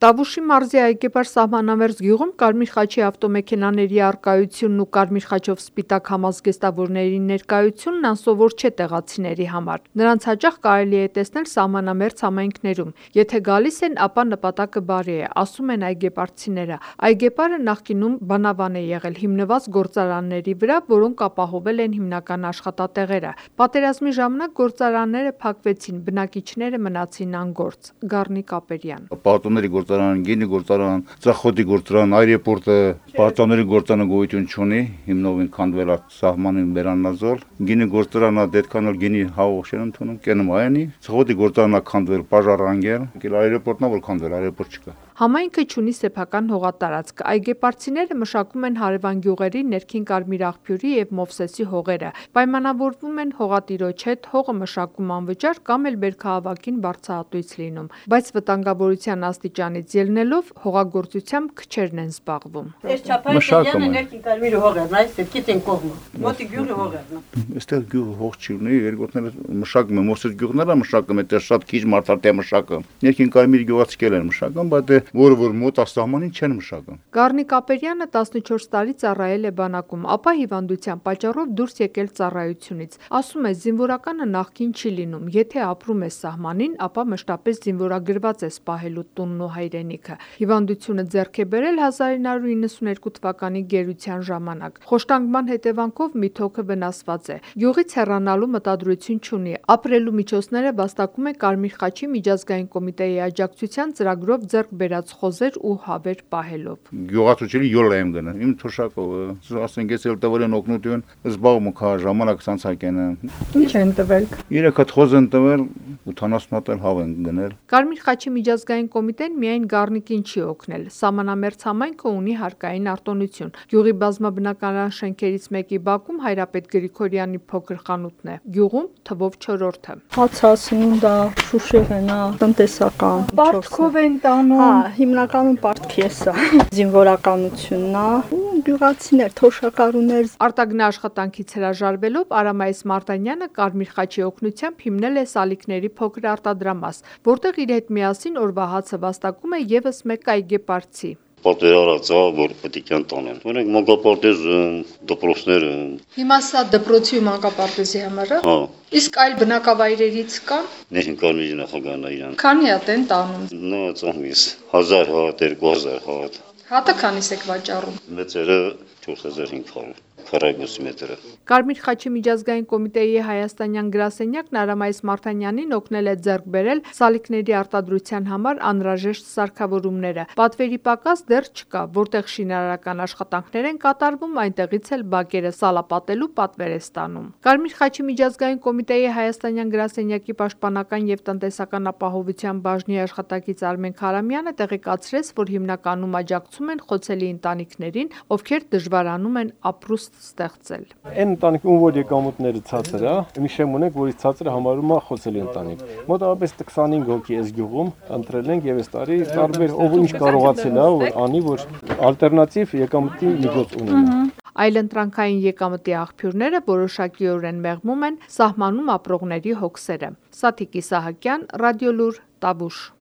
Տավուշի մարզի Այգեպար սահմանամերձ գյուղում Կարմիր խաչի ավտոմեքենաների առկայությունն ու Կարմիր խաչով սպիտակ համազգեստավորների ներկայությունն անսովոր չէ տեղացիների համար։ Նրանց հաճախ կարելի է տեսնել սահմանամերձ համայնքներում։ Եթե գալիս են, ապա նպատակը բարի է, ասում են այգեպարցիները։ Այգեպարը նախկինում բանավան է եղել, հիմնված գործարանների վրա, որոնք ապահովել են հիմնական աշխատատեղերը։ Պատերազմի ժամանակ գործարանները փակվեցին, բնակիչները մնացին անգործ։ Գառնիկ Ապերյան։ Պատոնների գործարան, գինի գործարան, ծախոտի գործարան, այրեպորտը, պատոնների գործարանը գոյություն չունի, հիմնովին քանդվել է սահմանին վերանազոլ, գինի գործարանը դետքանալ գինի հաղորդեն ընդունում, կենում այանի, ծախոտի գործարանը քանդվել, պաժարանգել, այրեպորտն որ քանդվել, այրեպորտ չկա։ Համայնքը չունի սեփական հողատարածք։ Այգեպարցիները մշակում են հարևան գյուղերի ներքին Կարմիր աղբյուրի եւ Մովսեսի հողերը, պայմանավորվում են հողատիրոջ հետ, հողը մշակում անվճար կամ էլ բերքահավաքին բարձրահատույց լինում, բայց վտանգավորության աստիճանից ելնելով հողագործությամբ քչերն են զբաղվում։ Մշակում են։ Ներքին Կարմիր հողերն, այս դեպքից են կողմը։ Մոտի գյուղի հողերն։ Այստեղ գյուղը հող չի ունի, երկրորդները մշակում են, Մովսես գյուղները մշակում են, դեռ շատ քիչ մարդատե մշակում։ Ներքին Կարմիր գյուղացիքել են մշակում, բայց որը մոտ աստահմանին չեն մշակում։ Գառնիկ Ապերյանը 14 տարի ծառայել է բանակում, ապա հիվանդության պատճառով դուրս եկել ծառայությունից։ Ասում է, զինվորականը նախկին չի լինում, եթե ապրում է սահմանին, ապա մշտապես զինվորագրված է սպահելու տունն ու հայրենիքը։ Հիվանդությունը ձեռք է բերել 1992 թվականի գերության ժամանակ։ Խոշտանգման հետևանքով մի թոքը վնասված է։ Գյուղից հեռանալու մտադրություն չունի։ Ապրելու միջոցները վաստակում է Կարմիր խաչի միջազգային կոմիտեի աջակցության ծրագրով ձեռք բերած խոզեր ու հավեր պահելով։ Գյուղացուցիչի յոլա եմ գնում, իմ թոշակով, ասենք ես էլ տվել են օգնություն, զբաղվում կա ժամանակ ցանցակեն։ Ինչ են տվել։ 3 հատ խոզ են տվել, 80 հատ հավ են գնել։ Կարմիր խաչի միջազգային կոմիտեն միայն Գառնիկին չի օգնել։ Սահմանամերձ համայնքը ունի հարկային արտոնություն։ Գյուղի բազմաբնակարան շենքերից մեկի բակում Հայրապետ Գրիգորյանի փոքր խանութն է։ Գյուղում թվով 4-րդը։ Հացասնունդա, շուշեղենա, տնտեսական։ Պարտքով են տանում։ Հիմնականում պարտքի է սա։ Զինվորականությունն է, գյուղացիներ, թոշակառուներ։ Արտագնա աշխատանքից հրաժարվելով Արամայիս Մարտանյանը Կարմիր խաչի օգնությամբ հիմնել է սալիկների փոքր արտադրամաս, որտեղ իր հետ միասին օրվա հացը վաստակում է եւս մեկ այգեպարցի։ Պատերարածա, որ պետք է տանեն։ Օրենք մանկապարտեզը, դպրոցները։ Հիմա սա դպրոցի ու մանկապարտեզի համար է։ Հա։ Իսկ այլ բնակավայրերից կա։ Ներքին Կարմիրի նախագահն է իրան։ Քանի հատ են տանում։ Նա ծամիս 1000 հատ, 2000 հատ։ Հատը քանիս եք վաճառում։ Մեծերը 4500 քառակուսի մետրը։ Կարմիր խաչի միջազգային կոմիտեի հայաստանյան գրասենյակն Արամայիս Մարտանյանին օգնել է ձեռք բերել սալիկների արտադրության համար անհրաժեշտ սարքավորումները։ Պատվերի պակաս դեռ չկա, որտեղ շինարարական աշխատանքներ են կատարվում, այնտեղից էլ բակերը սալապատելու պատվեր է ստանում։ Կարմիր խաչի միջազգային կոմիտեի հայաստանյան գրասենյակի պաշտպանական եւ տնտեսական ապահովության բաժնի աշխատակից Արմեն Քարամյանը տեղեկացրեց, որ հիմնականում աջակցում են խոցելի ընտանիքներին, ովքեր դժվարանում են ապրուստ ստեղծել։ Այն ընտանիքի ում որ եկամուտները ցածր է, մի շեմ ունենք, որից ցածրը համարում է խոցելի ընտանիք։ Մոտավորապես 25 հոգի այս գյուղում ընտրել ենք եւ այս տարի տարբեր ով ինչ կարողացել է, որ անի, որ ալտերնատիվ եկամտի միջոց ունենա։ Այլընտրանքային եկամտի աղբյուրները որոշակիորեն մեղմում են սահմանում ապրողների հոգսերը։ Սաթիկ Իսահակյան, Ռադիոլուր, Տավուշ։